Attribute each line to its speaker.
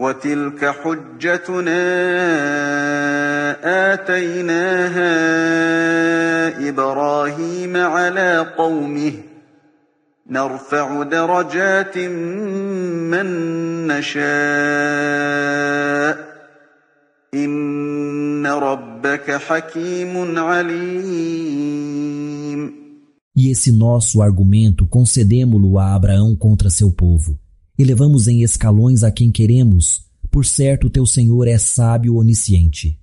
Speaker 1: وتلك حجتنا آتيناها إبراهيم على قومه نرفع درجات من نشاء إن ربك حكيم عليم.
Speaker 2: E esse nosso argumento concedemo-lo a Abraão contra seu povo. Elevamos em escalões a quem queremos, por certo teu Senhor é sábio onisciente.